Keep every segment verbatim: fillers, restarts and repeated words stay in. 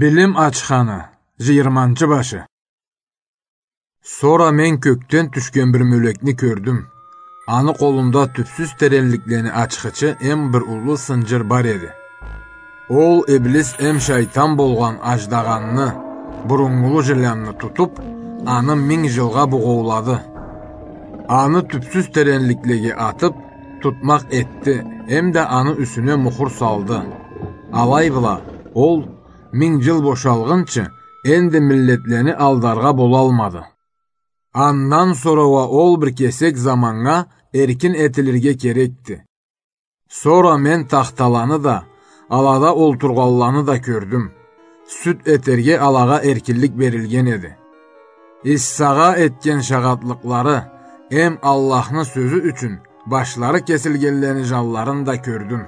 Билим ачханы, жыйырманчы башы. Сора мен кёкден тюшген бир мёлекни кёрдюм. Аны къолунда тюпсюз теренликлени ачхычы эм бир уллу сынжыр бар эди. Ол Иблис эм шайтан болгъан аждагъанны, буруннгулу жыланны тутуп, аны минг жылгъа бугъоулады. Аны тюпсюз теренликлеге атып, тутмакъ этди, эм да аны юсюне мухур салды. Алай бла, ол минг жыл бошалгъынчы, энди миллетлени алдаргъа болалмады. Андан сора уа ол бир кесек заманнга эркин этилирге керекди. Сора мен тахталаны да, алада олтургъанланы да кёрдюм. Сюд этерге алагъа эркинлик берилген эди. Иссагъа этген шагъатлыкълары эм Аллахны сёзю ючюн башлары кесилгенлени жанларын да кёрдюм.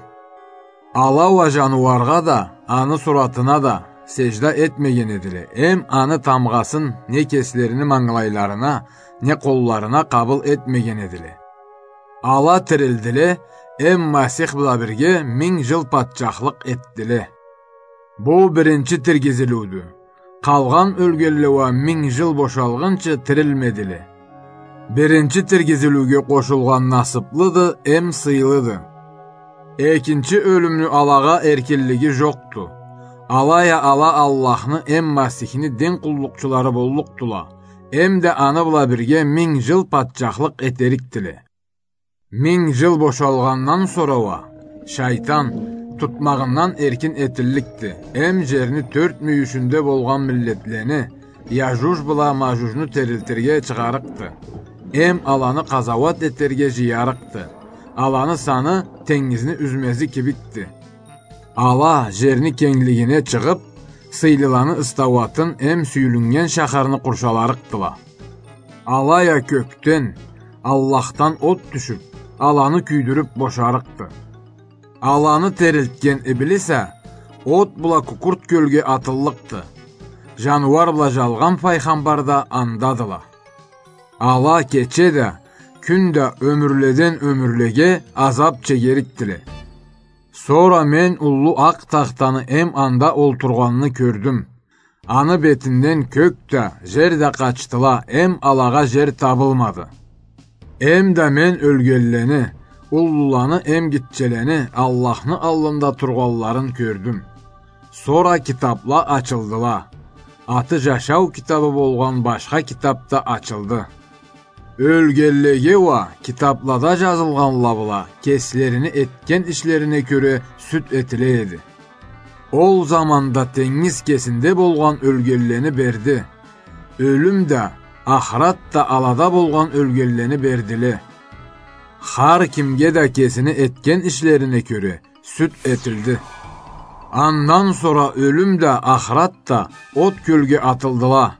Ала уа жаныуаргъа да, аны суратына да сежда этмеген эдиле, эм аны тамгъасын не кеслерини мангылайларына, не къолларына къабыл этмеген эдиле. Ала тирилдиле, эм Масих бла бирге минг жыл патчахлыкъ этдиле. Бу биринчи тиргизилиудю. Къалгъан ёлгенле уа минг жыл бошалгъынчы тирилмедиле. Биринчи тиргизилиуге къошулгъан насыплыды эм сыйлыды. Экинчи ёлюмню алагъа эркинлиги жокъду. Алай а ала Аллахны эм Масихни дин къуллукъчулары боллукъдула, эм да аны бла бирге минг жыл патчахлыкъ этерикдиле. Минг жыл бошалгъандан сора уа, шайтан, тутмагъындан эркин этилликди, эм жерни тёрт мюйюшюнде болгъан миллетлени, Яжуж бла Мажужну тирилтирге чыгъарыкъды, эм аланы къазауат этерге жыярыкъды. Аланы саны тенгизни юзмези кибикди. Ала жерни кенглигине чыгъып, сыйлыланы ыстауатын эм сюйюлюннген шахарны къуршаларыкъдыла. Алай а кёкден, Аллахдан от тюшюп, аланы кюйдюрюп бошарыкъды. Аланы тирилтген Иблис а от бла Кукурт кёлге атыллыкъды. Жаныуар бла жалгъан файгъамбар да андадыла. Ала кече да, кюн да ёмюрледен ёмюрлеге азап чегерикдиле. Сора мен уллу акъ тахтаны эм анда олтургъанны кёрдюм. Аны бетинден кёк да, жер да къачдыла, эм алагъа жер табылмады. Эм да мен ёлгенлени, уллуланы эм гитчелени Аллахны аллында тургъанларын кёрдюм. Сора китапла ачылдыла. Аты жашау китабы болгъан башха китап да ачылды. Ёлгенлеге уа китаплада жазылгъанла бла кеслерини этген ишлерине кёре сюд этиле эди. Ол заманда тенгиз кесинде болгъан ёлгенлени берди. Ёлюм да, ахырат да алада болгъан ёлгенлени бердиле. Хар кимге да кесини этген ишлерине кёре сюд этилди. Андан сора ёлюм да, ахырат да от кёлге атылдыла.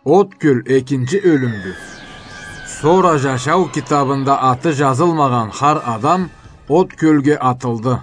От кёл экинчи ёлюмдю. Сора жашау китабында аты жазылмагъан хар адам от кёлге атылды.